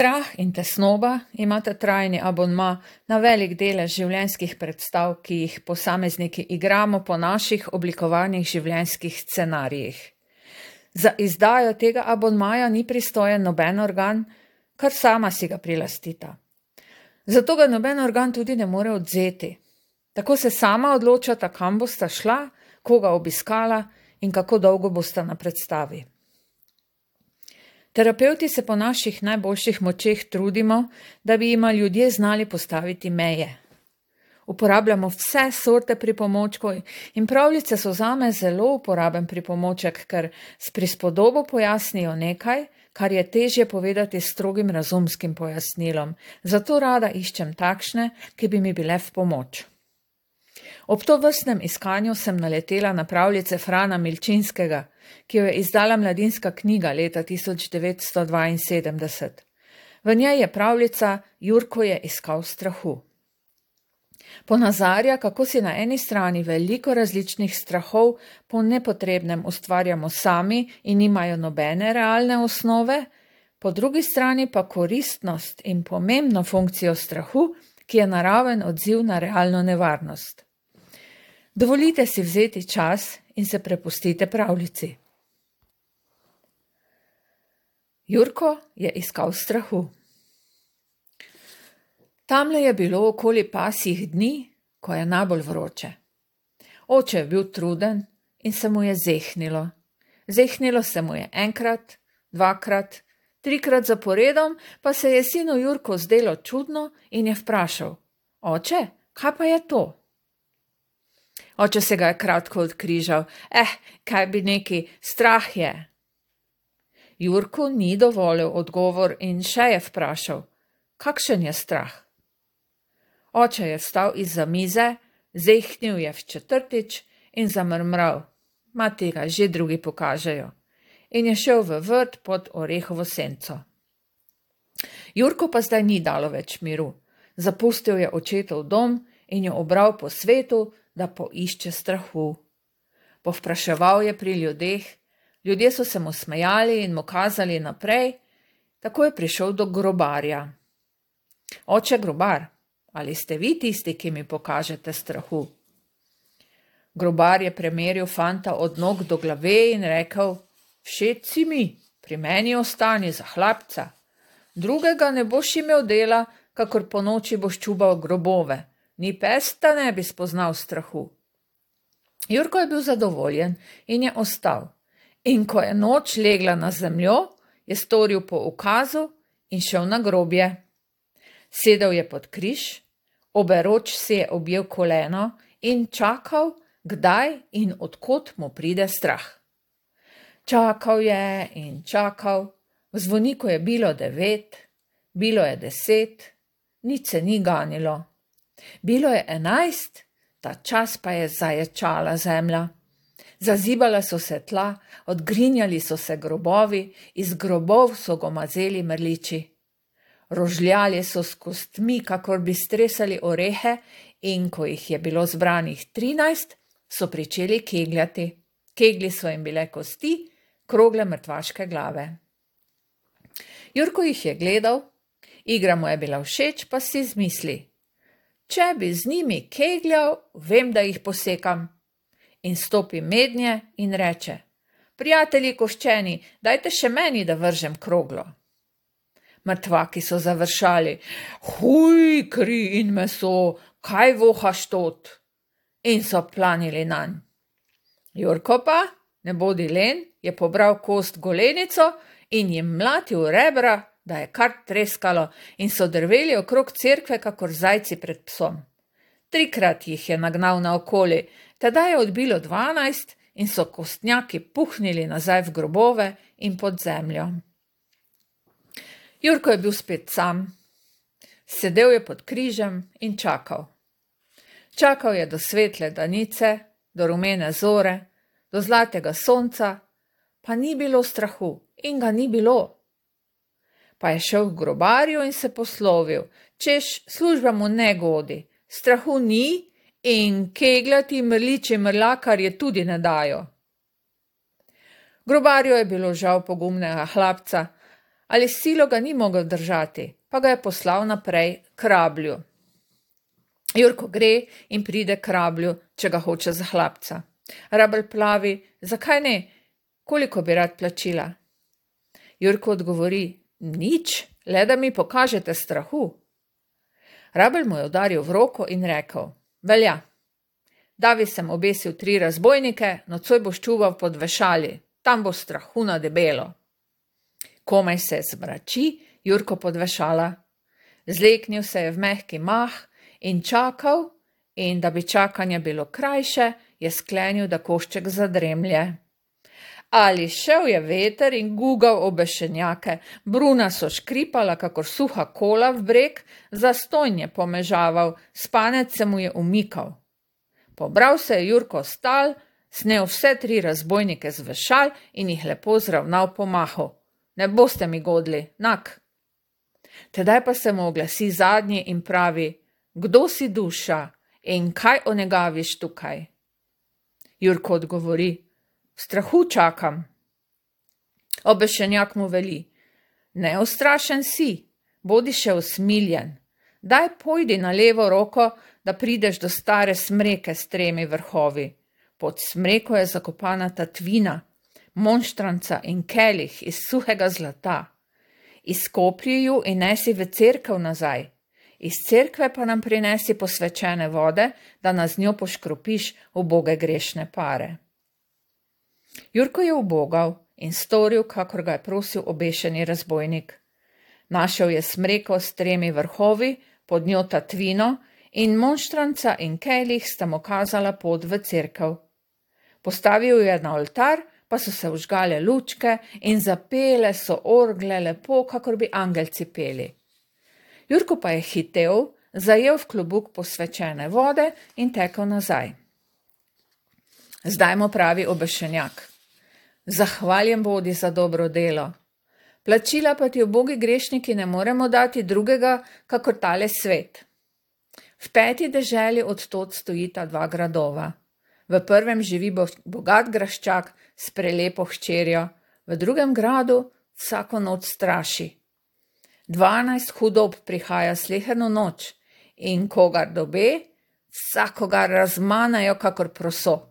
Strah in tesnoba imata trajni abonma na velik delež življenjskih predstav, ki jih posamezniki igramo po naših oblikovanih življenjskih scenarijih. Za izdajo tega abonmaja ni pristojen noben organ, kar sama si ga prilastita. Zato ga noben organ tudi ne more odvzeti. Tako se sama odločata, kam bosta šla, koga obiskala in kako dolgo bosta na predstavi. Terapevti se po naših najboljših močeh trudimo, da bi jima ljudje znali postaviti meje. Uporabljamo vse sorte pripomočkov in pravljice so zame zelo uporaben pripomoček, ker s prispodobo pojasnijo nekaj, kar je težje povedati s strogim razumskim pojasnilom. Zato rada iščem takšne, ki bi mi bile v pomoč. Ob tovrstnem iskanju sem naletela na pravljice Frana Milčinskega, ki jo je izdala Mladinska knjiga leta 1972. V njej je pravljica Jurko je iskal strahu. Ponazarja, kako si na eni strani veliko različnih strahov po nepotrebnem ustvarjamo sami in nimajo nobene realne osnove, po drugi strani pa koristnost in pomembno funkcijo strahu, ki je naraven odziv na realno nevarnost. Dovolite si vzeti čas in se prepustite pravljici. Jurko je iskal strahu. Tamle je bilo okoli pasjih dni, ko je najbolj vroče. Oče je bil truden in se mu je zehnilo. Zehnilo se mu je enkrat, dvakrat, trikrat zaporedom, pa se je sinu Jurko zdelo čudno in je vprašal: Oče, kaj pa je to? Oče se ga je kratko odkrižal: kaj bi neki, strah je. Jurko ni dovolil odgovor in še je vprašal: kakšen je strah? Oče je vstal izza mize, zehnil je v četrtič in zamrmral: ma tega že drugi pokažejo. In je šel v vrt pod orehovo senco. Jurko pa zdaj ni dalo več miru. Zapustil je očetov dom in jo obral po svetu, da poišče strahu. Povpraševal je pri ljudeh, ljudje so se mu smejali in mu kazali naprej, tako je prišel do grobarja. Oče grobar, ali ste vi tisti, ki mi pokažete strahu? Grobar je premeril fanta od nog do glave in rekel: všeč si mi, pri meni ostani za hlapca. Drugega ne boš imel dela, kakor po noči boš čubal grobove. Ni pes, da ne bi spoznal strahu. Jurko je bil zadovoljen in je ostal. In ko je noč legla na zemljo, je storil po ukazu in šel na grobje. Sedel je pod križ, oberoč si je objel koleno in čakal, kdaj in od kod mu pride strah. Čakal je in čakal, v zvoniku je bilo 9, bilo je 10, nič se ni ganilo. Bilo je 11, ta čas pa je zaječala zemlja. Zazibala so se tla, odgrinjali so se grobovi, iz grobov so gomazeli mrliči. Rožljali so s kostmi, kakor bi stresali orehe, in ko jih je bilo zbranih 13, so pričeli kegljati. Kegli so jim bile kosti, krogle mrtvaške glave. Jurko jih je gledal, igra mu je bila všeč, pa si zmisli: če bi z njimi kegljal, vem, da jih posekam. In stopi mednje in reče: prijatelji koščeni, dajte še meni, da vržem kroglo. Mrtvaki so završali: huj, kri in meso, kaj vohaš tot? In so planili nanj. Jurko pa, ne bodi len, je pobral kost golenico in jim mlatil rebra, da je kar treskalo, in so drveli okrog cerkve, kakor zajci pred psom. 3krat jih je nagnal naokoli, tedaj je odbilo 12 in so kostnjaki puhnili nazaj v grobove in pod zemljo. Jurko je bil spet sam. Sedel je pod križem in čakal. Čakal je do svetle danice, do rumene zore, do zlatega sonca, pa ni bilo strahu in ga ni bilo. Pa je šel k grobarju in se poslovil, češ služba mu ne godi, strahu ni in kegljati mrliči mrlakarje tudi ne dajo. Grobarju je bilo žal pogumnega hlapca, ali silo ga ni mogel držati, pa ga je poslal naprej k Rablju. Jurko gre in pride k Rablju, če ga hoče za hlapca. Rabelj pravi, zakaj ne, koliko bi rad plačila? Jurko odgovori, nič, le da mi pokažete strahu. Rabelj mu je udaril v roko in rekel, velja, davi sem obesil 3 razbojnike, nocoj boš čuval pod vešali, tam bo strahu na debelo. Komaj se zmrači, Jurko pod vešala. Zleknil se je v mehki mah in čakal, in da bi čakanje bilo krajše, je sklenil, da košček zadremlje. Ali šel je veter in gugal obešenjake, bruna so škripala, kakor suha kola v breg, zastonj je pomežaval, spanec se mu je umikal. Pobral se je Jurko stal, snel vse 3 razbojnike z vešal in jih lepo zravnal po mahu. Ne boste mi godli, nak. Tedaj pa se mu oglasi zadnji in pravi, kdo si duša in kaj onegaviš tukaj? Jurko odgovori, v strahu čakam. Obešenjak mu veli, neustrašen si, bodi še usmiljen, daj pojdi na levo roko, da prideš do stare smreke s 3 vrhovi. Pod smreko je zakopana tatvina, monštranca in kelih iz suhega zlata. Izkoplji ju in nesi v cerkev nazaj. Iz cerkve pa nam prinesi posvečene vode, da nas z njo poškropiš uboge grešne pare. Jurko je ubogal in storil, kakor ga je prosil obešeni razbojnik. Našel je smreko s 3 vrhovi, pod njo tatvino in monštranca in kelih sta mu kazala pot v cerkev. Postavil je na oltar, pa so se vžgale lučke in zapele so orgle lepo, kakor bi angelci peli. Jurko pa je hitel, zajel v klobuk posvečene vode in tekel nazaj. Zdaj mu pravi obešenjak, zahvaljen bodi za dobro delo. Plačila pa ti ubogi grešniki ne moremo dati drugega, kakor tale svet. V 5. deželi od tod stojita 2 gradova. V prvem živi bogat graščak s prelepo hčerjo, v drugem gradu vsako noč straši. 12 hudob prihaja sleherno noč in kogar dobe, vsakogar razmanajo kakor proso.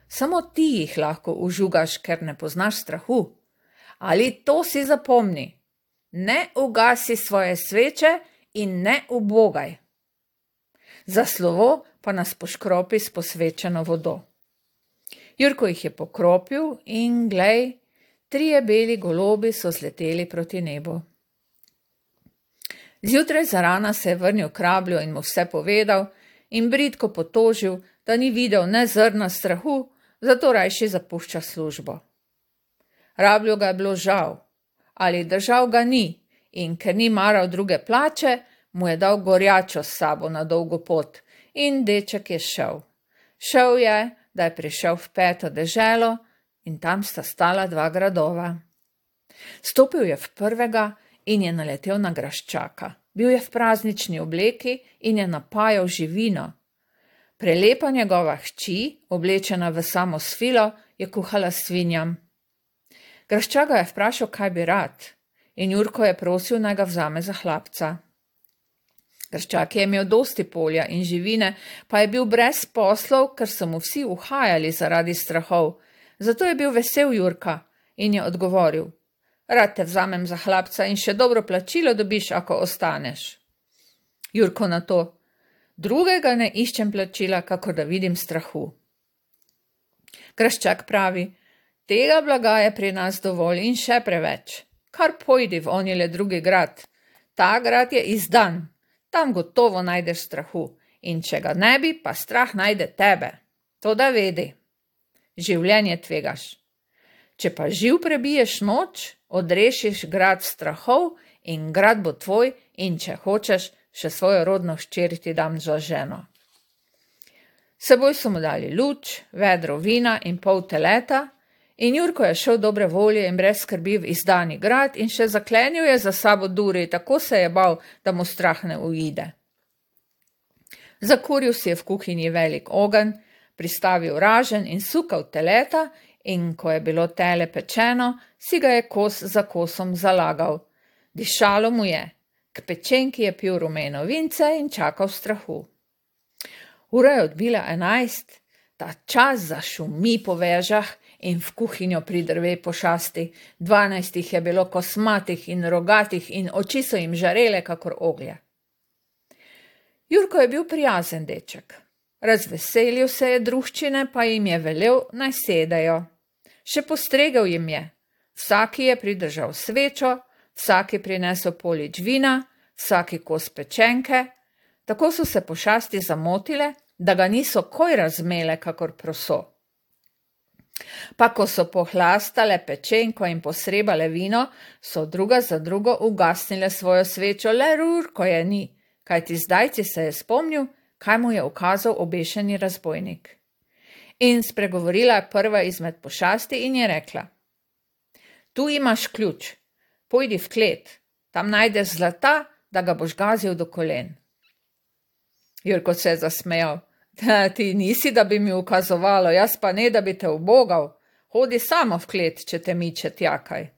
Samo ti jih lahko užugaš, ker ne poznaš strahu. Ali to si zapomni, ne ugasi svoje sveče in ne ubogaj. Za slovo pa nas poškropi s posvečeno vodo. Jurko jih je pokropil in glej, 3 beli golobi so zleteli proti nebu. Zjutraj zarana se je vrnil k Rablju in mu vse povedal in bridko potožil, da ni videl ne zrna strahu, zato rajši zapušča službo. Rablju ga je bilo žal, ali držal ga ni in ker ni maral druge plače, mu je dal gorjačo s sabo na dolgo pot in deček je šel. Šel je, da je prišel v 5. deželo in tam sta stala 2 gradova. Stopil je v prvega in je naletel na graščaka. Bil je v praznični obleki in je napajal živino. Prelepa njegova hči, oblečena v samo svilo, je kuhala svinjam. Graščak ga je vprašal, kaj bi rad, in Jurko je prosil, naj ga vzame za hlapca. Graščak je imel dosti polja in živine, pa je bil brez poslov, ker so mu vsi uhajali zaradi strahov. Zato je bil vesel Jurka in je odgovoril, rad te vzamem za hlapca in še dobro plačilo dobiš, ako ostaneš. Jurko na to, drugega ne iščem plačila, kakor da vidim strahu. Graščak pravi, tega blaga je pri nas dovolj in še preveč. Kar pojdi v onile drugi grad. Ta grad je izdan. Tam gotovo najdeš strahu in če ga ne bi, pa strah najde tebe. To da vedi. Življenje tvegaš. Če pa živ prebiješ noč, odrešiš grad strahov in grad bo tvoj in če hočeš, še svojo rodno hčer ti dam za ženo. Seboj so mu dali luč, vedro vina in pol teleta in Jurko je šel dobre volje in brez skrbi v izdani grad in še zaklenil je za sabo duri, tako se je bal, da mu strah ne uide. Zakuril si je v kuhinji velik ogenj, pristavil raženj in sukal teleta in ko je bilo tele pečeno, si ga je kos za kosom zalagal. Dišalo mu je, k pečenki je pil rumeno vince in čakal strahu. Ura je odbila 11, ta čas zašumi po vežah in v kuhinjo pridrve pošasti. 12 jih je bilo kosmatih in rogatih in oči so jim žarele kakor oglje. Jurko je bil prijazen deček. Razveselil se je druščine, pa jim je velel, naj sedejo. Še postregel jim je. Vsaki je pridržal svečo, vsaki prinesel polič vina, vsaki kos pečenke. Tako so se pošasti zamotile, da ga niso koj razmele kakor proso. Pa ko so pohlastale pečenko in posrebale vino, so druga za drugo ugasnile svojo svečo, le Jurko je ni, kajti zdajci se je spomnil, kaj mu je ukazal obešeni razbojnik. In spregovorila je prva izmed pošasti in je rekla: Tu imaš ključ, pojdi v klet, tam najdeš zlata, da ga boš gazil do kolen. Jurko se je zasmejal: Ti nisi, da bi mi ukazovalo, jaz pa ne, da bi te ubogal. Hodi samo v klet, če te miče tjakaj.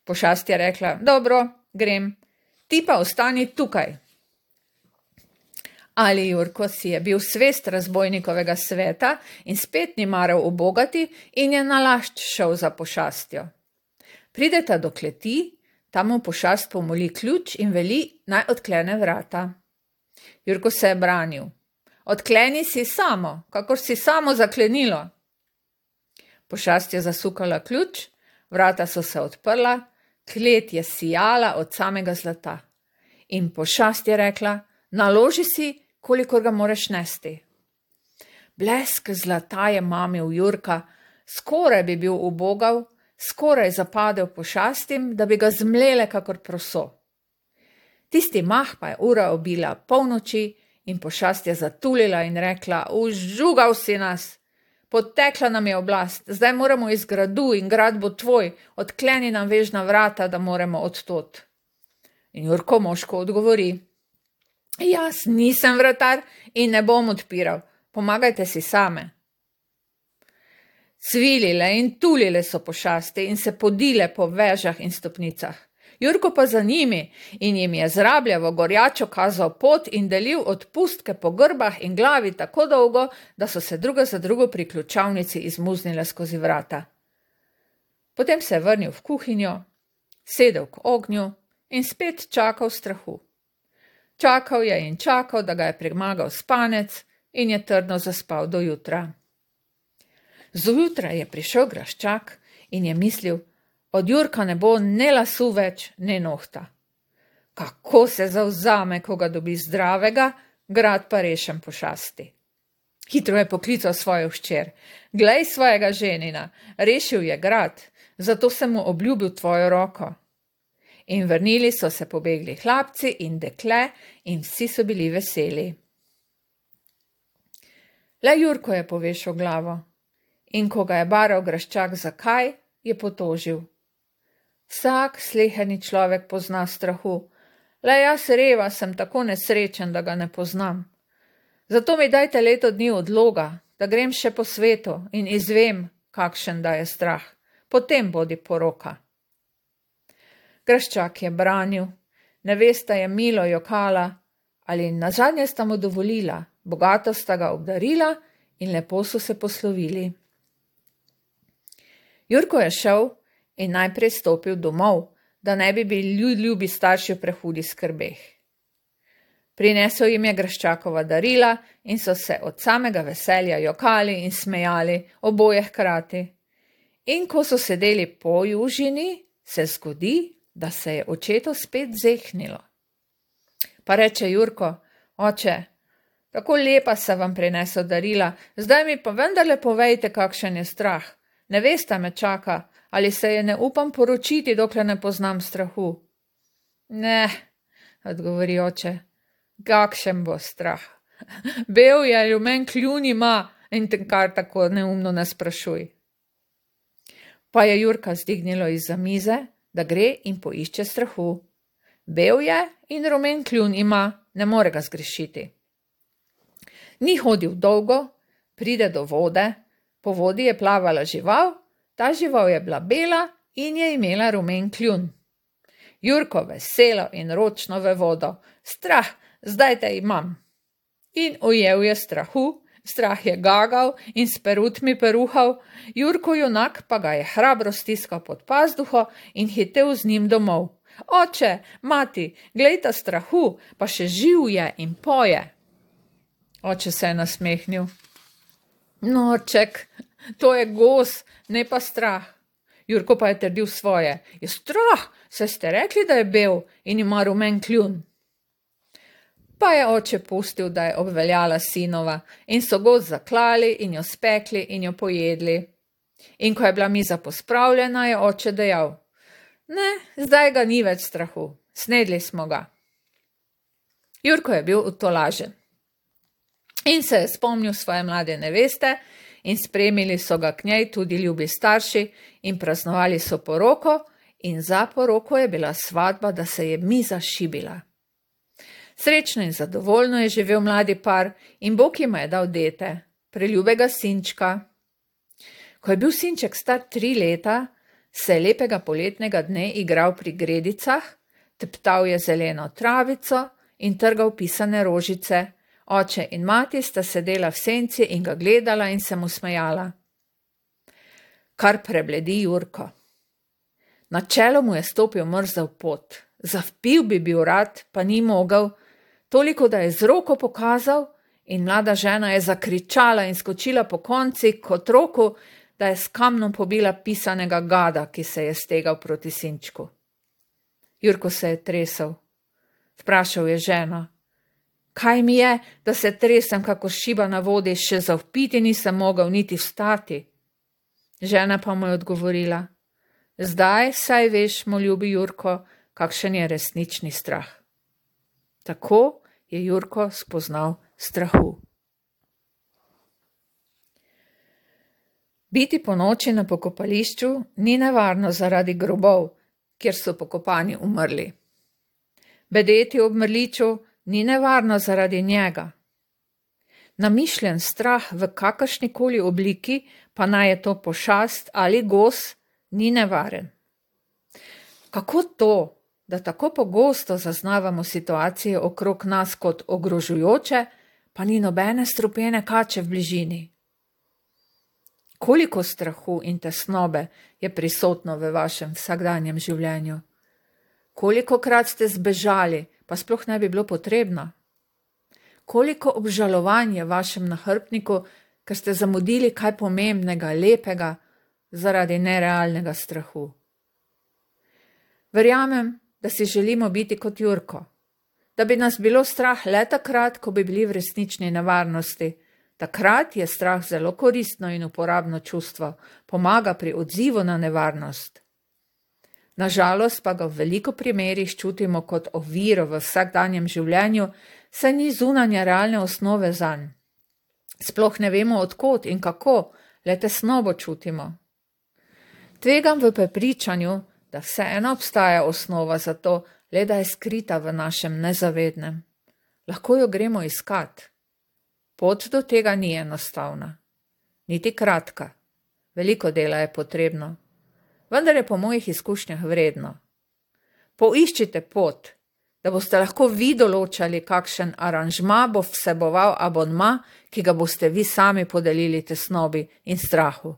Pošast je rekla: Dobro, grem, ti pa ostani tukaj. Ali Jurko si je bil svest razbojnikovega sveta in spet ni maral ubogati in je nalašč šel za pošastjo. Prideta do kleti, tam mu pošast pomoli ključ in veli, naj odklene vrata. Jurko se je branil: Odkleni si samo, kakor si samo zaklenilo. Pošast je zasukala ključ, vrata so se odprla, klet je sijala od samega zlata. In pošast je rekla: Naloži si, kolikor ga moreš nesti. Blesk zlata je mamil Jurka, skoraj bi bil ubogal, skoraj zapadel pošastim, da bi ga zmlele kakor proso. Tisti mah pa je ura obila polnoči in pošast je zatulila in rekla: Užugal si nas, potekla nam je oblast, zdaj moramo iz gradu in grad bo tvoj, odkleni nam vežna vrata, da moremo odtot. In Jurko moško odgovori: Jaz nisem vratar in ne bom odpiral, pomagajte si same. Cvilile in tulile so pošasti in se podile po vežah in stopnicah. Jurko pa za njimi in jim je zrabljavo gorjačo kazal pot in delil odpustke po grbah in glavi tako dolgo, da so se druga za drugo pri ključavnici izmuznile skozi vrata. Potem se je vrnil v kuhinjo, sedel k ognju in spet čakal strahu. Čakal je in čakal, da ga je premagal spanec in je trdno zaspal do jutra. Zjutraj je prišel Graščak in je mislil: Od Jurka ne bo ne lasu več, ne nohta. Kako se zavzame, ko ga dobi zdravega, grad pa rešen pošasti. Hitro je poklical svojo hčer: Glej svojega ženina, rešil je grad, zato sem mu obljubil tvojo roko. In vrnili so se pobegli hlapci in dekle in vsi so bili veseli. Le Jurko je povešal glavo in ko ga je baral Graščak zakaj, je potožil: Vsak sleherni človek pozna strahu, le jaz reva sem tako nesrečen, da ga ne poznam. Zato mi dajte leto dni odloga, da grem še po svetu in izvem, kakšen da je strah, potem bodi poroka. Graščak je branil, nevesta je milo jokala, ali nazadnje sta mu dovolila, bogato sta ga obdarila in lepo so se poslovili. Jurko je šel in najprej stopil domov, da ne bi bili ljubi starši v prehudi skrbeh. Prinesel jim je Graščakova darila in so se od samega veselja jokali in smejali, oboje hkrati. In ko so sedeli po južini, se zgodi, da se je očetu spet zehnilo. Pa reče Jurko: Oče, tako lepa se vam prinesel darila, zdaj mi pa vendarle povejte, kakšen je strah. Nevesta me čaka, ali se je ne upam poročiti, dokler ne poznam strahu. Ne, odgovori oče, kakšen bo strah. Bel je, rumen kljun ima in te kar tako neumno ne sprašuj. Pa je Jurka zdignilo izza mize, da gre in poišče strahu. Bel je in rumen kljun ima, ne more ga zgrešiti. Ni hodil dolgo, pride do vode, po vodi je plavala žival, ta žival je bila bela in je imela rumen kljun. Jurko veselo in ročno v vodo. Strah, zdaj te imam. In ujel je strahu, strah je gagal in s perutmi peruhal, Jurko junak pa ga je hrabro stiskal pod pazduho in hitel z njim domov. Oče, mati, glejta strahu, pa še živ je in poje. Oče se je nasmehnil. Norček, to je gos, ne pa strah. Jurko pa je trdil svoje. Je strah, saj ste rekli, da je bel in ima rumen kljun. Pa je oče pustil, da je obveljala sinova in so gos zaklali in jo spekli in jo pojedli. In ko je bila miza pospravljena, je oče dejal: Ne, zdaj ga ni več strahu, snedli smo ga. Jurko je bil utolažen in se je spomnil svoje mlade neveste in spremili so ga k njej tudi ljubi starši in praznovali so poroko in za poroko je bila svatba, da se je miza šibila. Srečno in zadovoljno je živel mladi par in Bog jima je dal dete, preljubega sinčka. Ko je bil sinček star 3 leta, se je lepega poletnega dne igral pri gredicah, teptal je zeleno travico in trgal pisane rožice. Oče in mati sta sedela v senci in ga gledala in se mu smejala. Kar prebledi Jurko. Na čelo mu je stopil mrzel pot. Zavpil bi bil rad, pa ni mogel, toliko, da je z roko pokazal in mlada žena je zakričala in skočila po konci k otroku, da je s kamnom pobila pisanega gada, ki se je stegal proti sinčku. Jurko se je tresel. Vprašal je ženo: Kaj mi je, da se tresem kako šiba na vodi, še zavpiti nisem mogel niti vstati? Žena pa mu je odgovorila: Zdaj saj veš, moj ljubi Jurko, kakšen je resnični strah. Tako je Jurko spoznal strahu. Biti ponoči na pokopališču ni nevarno zaradi grobov, kjer so pokopani umrli. Bedeti ob mrliču ni nevarno zaradi njega. Namišljen strah v kakršnikoli obliki, pa naj je to pošast ali gos, ni nevaren. Kako to, da tako pogosto zaznavamo situacije okrog nas kot ogrožujoče, pa ni nobene strupene kače v bližini? Koliko strahu in tesnobe je prisotno v vašem vsakdanjem življenju? Kolikokrat ste zbežali, pa sploh ne bi bilo potrebno? Koliko obžalovanja vašem nahrbtniku, ker ste zamudili kaj pomembnega, lepega, zaradi nerealnega strahu? Verjamem, da si želimo biti kot Jurko, da bi nas bilo strah le takrat, ko bi bili v resnični nevarnosti. Takrat je strah zelo koristno in uporabno čustvo, pomaga pri odzivu na nevarnost. Nažalost pa ga v veliko primerih čutimo kot oviro v vsakdanjem življenju, saj ni zunanja realne osnove zanj. Sploh ne vemo odkot in kako, le tesnobo čutimo. Tvegam v prepričanju, da vseeno obstaja osnova za to, le da je skrita v našem nezavednem. Lahko jo gremo iskat. Pot do tega ni enostavna, niti kratka. Veliko dela je potrebno, vendar je po mojih izkušnjah vredno. Poiščite pot, da boste lahko vi določali, kakšen aranžma bo vseboval abonma, ki ga boste vi sami podelili tesnobi in strahu.